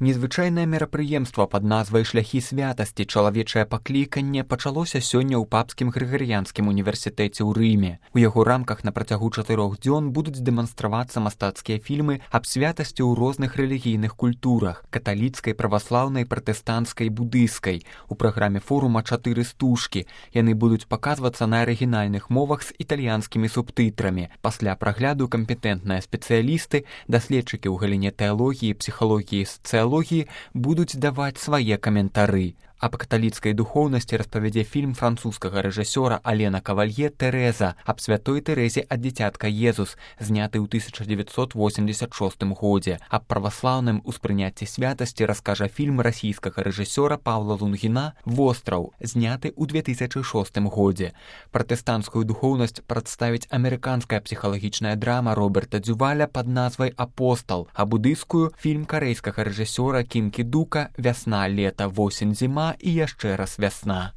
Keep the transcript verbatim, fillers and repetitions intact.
Незвычайнае мерапрыемства пад назвай «Шляхі святасці. Чалавечае пакліканне» пачалося сёння ў папскім грыгарыянскім універсітэце ў Рыме. У яго рамках на працягу чатырох дзён будуць дэманстравацца мастацкія фільмы аб святасці ў розных рэлігійных культурах – каталіцкай, праваслаўнай, пратэстанцкай, будыйскай. У праграме форума чатыры стужкі. Яны будуць паказвацца на арыгінальных мовах з італьянскімі субтытрамі. Пасля прагляду кампетэнтныя спецыялісты, даследчыкі ў галіне тэалогіі, псіхалогіі, сацыялогіі будуць даваць свае каментары. Аб каталіцкай духоўнасці распавядзе фільм французскага рэжысёра Алена Кавалье «Тэрэза» аб святой Тэрэзе ад дзіцятка Езус, зняты ў тысяча дзевяцьсот восемьдесят шостым годзе. Аб праваслаўным успрыняцці святасці раскажа фільм расійскага рэжысёра Паўла Лунгіна «Востраў», зняты ў две тысячы шостым годзе. Пратэстанцкую духоўнасць прадставіць амерыканская псіхалагічная драма Роберта Дзюваля пад назвай «Апостал», а будыйскую – фільм карэйскага рэжысёра Кім Кі Дука «Вясна, лета, восень, зіма» і яшчэ раз «Вясна».